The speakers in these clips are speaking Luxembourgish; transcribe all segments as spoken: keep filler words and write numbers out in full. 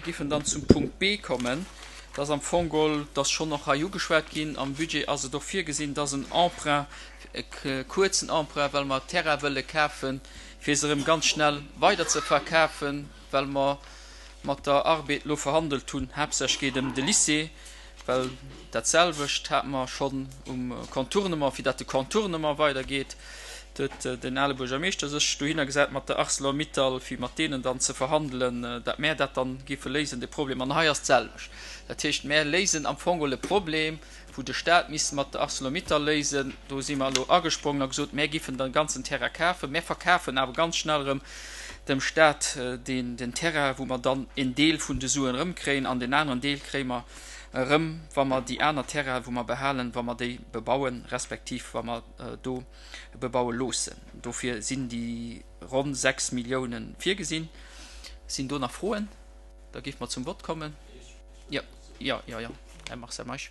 Giffen dann zum Punkt B kommen. Dat ass am Fong geholl, dat ass schonn och hei ugeschwat ginn, am Budget ass et och virgesinn, dass en Emprunt, e kuerzen Emprunt, well mer Terrain wëlle kafen, fir se erëm ganz schnell weider ze verkafen, well mer mat der Arbed elo verhandelt hunn, haaptsächlech geet ëm de Lycée, well dat selwecht hate mer schonn um Contournement, fir datt de Contournement weidergeet, huet den ale Buergermeeschter sech dohinner gesat mat der Arcelor-Mittal, fir mat deenen dann ze verhandelen, datt mär dat dann géife léisen, de Problem. An hei ass d'selwecht. Dat heescht, mär léisen am Fong geholl e Problem, wou de Stat misst mat der Arcelor-Mittal léisen. Do si mer elo agesprongen a gesot, mär giffen den ganzen Terrain kafen. Mär verkafen awer ganz schnell erëm dem Stat deen, den Terrain, wou mer dann en Deel vun de Suen erëmkréien an deen aneren Deel kréie mer erëm, wa mer déi aner Terrainen, wou mer behalen, wa mer déi bebauen, respektiv wa mer do bebaue loossen. Dofir sinn déi ronn sechs Milliounen virgesinn. Sinn do nach Froen? Da géife mer zum Vott kommen. Jo, jo, jo, jo, Här Marcel Meisch.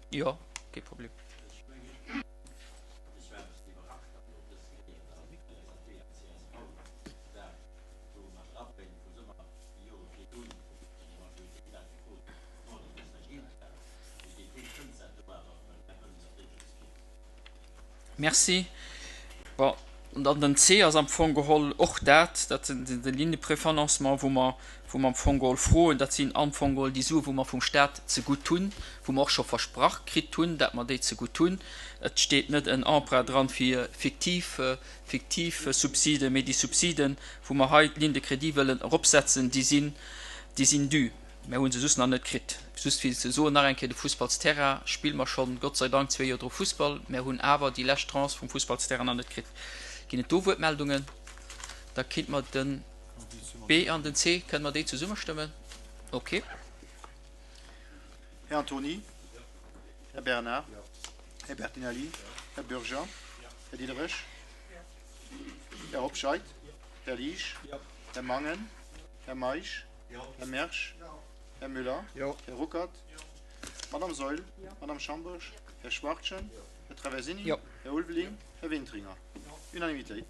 Jo, kee Problem. Merci. Bon, an dann den C ass am Fong geholl och dat, dat sinn de Lignes de préfinancement, wou mer, wou mer am Fong geholl froen, dat sinn am Fong geholl déi Sue wou mer vum Stat zegutt hunn, wou mer och scho versprach kritt hunn, dat mer déi zegutt hunn. Et steet net en Emprunt dran fir fiktiv, fiktiv Subsiden, mee déi Subsiden, wou mer hei d'Ligne de crédit wëllen eropsetzen, déi sinn, déi sinn dû. Mär hu se just nach net kritt. Just fir ze soen nach eng Kéier, de Fussballsterrain spille mer schonn, Gott sei Dank, zwee Joer dru Fussball. Mär hunn awer déi lescht Tranche vum Fussballsterrain nach net kritt. Ginn et do Wuertmeldungen? Da kinnt mer de B an den C, kënne mer déi zesumme stëmmen? Okay. Här Antony. Här Bernard. Här Bertinelli. Här Bürger. Här Diderich. Här Hobscheit. Här Liesch. Här Mangen. Här Meisch. Här Mersch. Här Müller. Här Ruckert. Madame Saeul. Madame Schambourg. Här Schwachtgen. Här Traversini. Här Ulveling. Här Wintringer. Unanimitéit.